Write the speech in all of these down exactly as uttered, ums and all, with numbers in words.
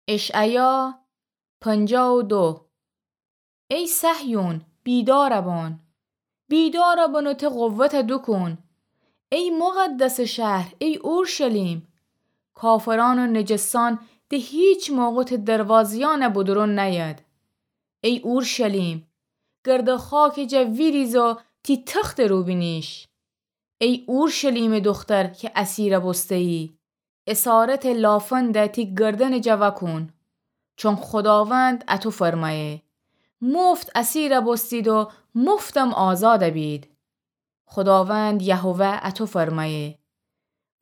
اشعیا پنجاه و دو. ای صهیون، بیدارَ بان، بیدارَ بان و ته قوتَ دوکون. ای مقدسٚ شهر، ای اورشلیم، کافرأن و نجسأن ده هیچ موقع ته دروازه‌یأنَ بودورون نأید. ای اورشلیم، گردٚ خاکٚ جا ویریز و تی تختٚ رو بینیش. ای اورشلیمٚ دوختر کی اسیرَ بوسته‌یی، اسارتٚ لافندَ تی گردنٚ جا وأکون، چون خوداوند اَتو فرمأیه: مفت اسیرَ بوستید و مفتم آزادَ بید. خوداوند یهوه اَتو فرمأیه: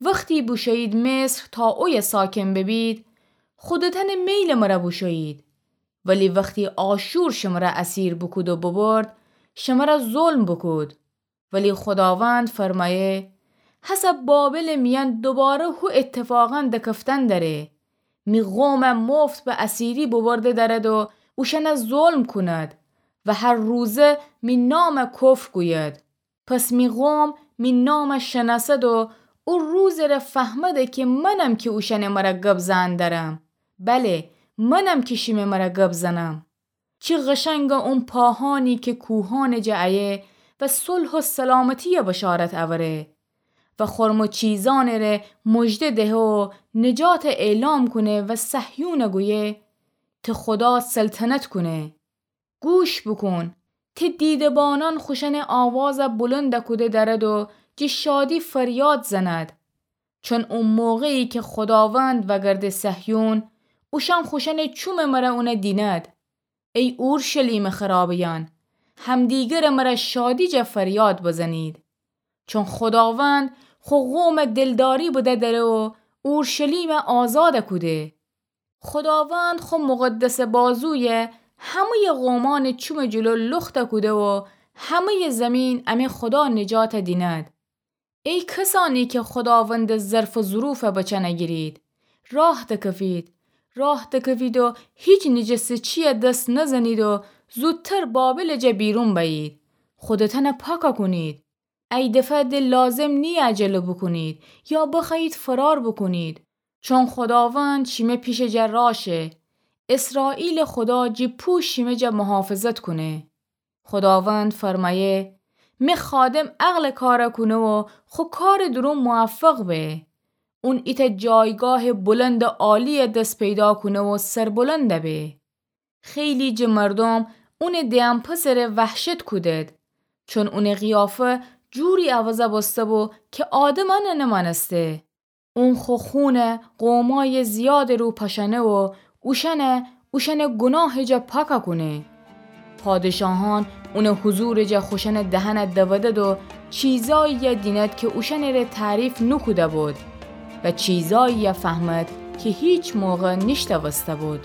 وختی بوشویید مصر تا اویه ساکن ببید، خودتأنٚ میلٚ مرأ بوشویید. ولی وختی آشور شمرَ اسیر بوکود و ببرد، شمرَ ظلم بوکود. ولی خوداوند فرمأیه: هسه بابلٚ میأن دوباره هو اتفاقأن دکفتن دأره. می قومَ مفت به اسیری ببرده دأرد و اوشأنَ ظلم کند و هر روزه می نامَ کفر گوید. پس می قوم می نامَ شنأسد و او روزٚ ره فهمده کی منم کی اوشأنٚ مرأ گب زئن دأرم. بله، منم کی شیمٚ مرأ گب زنم. چی قشنگه اون پاهأنی کی کوهأنٚ جا ایه و صلح و سلامتییٚ بشارت اوره و خرم و چیزأنٚ ره مژده دهه و نجاتَ اعلام کونه و صهیونَ گویه: ته خودا سلطنت کونه. گوش بوکون، ته دیده‌بانأن خوشأنٚ آوازَ بلندَ کوده دأرد و جٚه شادی فریاد زند. چون او موقعی کی خوداوند وأگرده صهیون، اوشأن خوشأنٚ چومٚ مرأ اونَ دینید. ای اورشلیمٚ خرابه‌یأن، همدیگرٚ مرأ شادی جا فریاد بزنید. چون خوداوند خو قومَ دلداری بده دأره و اورشلیمَ آزادَ کوده. خوداوند خو مقدسٚ بازویَ همه‌یٚ قومأنٚ چومٚ جلو لختَ کوده و همه‌یٚ زیمین امی خودا نجاتَ دینید. ای کسأنی کی خوداوندٚ ظرف و ظروفَ بچأنَ گیرید، راه دکفید، راه دکفید و هیچ نجسٚ چییَ دس نزنید و زودتر بابلٚ جا بیرون بأیید، خودتأنَ پاکَ کونید. ای دفعه ده لازم نییه عجله بوکونید یا بخوأیید فرار بوکونید، چون خوداوند شیمه پیشٚ جا راه شه. اسرائیلٚ خودا جٚه پوش شیمه جا محافظت کونه. خوداوند فرمأیه: می خادم عقلٚ کارَ کونه و خو کارٚ درون موفق به. اون ایتأ جایگاهٚ بلندٚ عالییَ دس پیدا کونه و سربلندَ به. خیلی جٚه مردوم اونٚ دئن‌پسٚ ره وحشت کودید، چون اونٚ قیافه جوری عوضَ بوسته‌بو کی آدمأنَ نمأنسته. اون خو خونَ قومأیٚ زیادٚ رو پاشأنه و اوشأنَ اوشأنٚ گوناهٚ جا پاکَ کونه. پادشاهأن اونٚ حضورٚ جا خوشأنٚ دهنَ دودد و چیزاییَ دینید کی اوشأنٚ ره تعریف نوکوده‌بود و چیزاییَ فهمید کی هیچ موقع نیشتأوسته‌بود.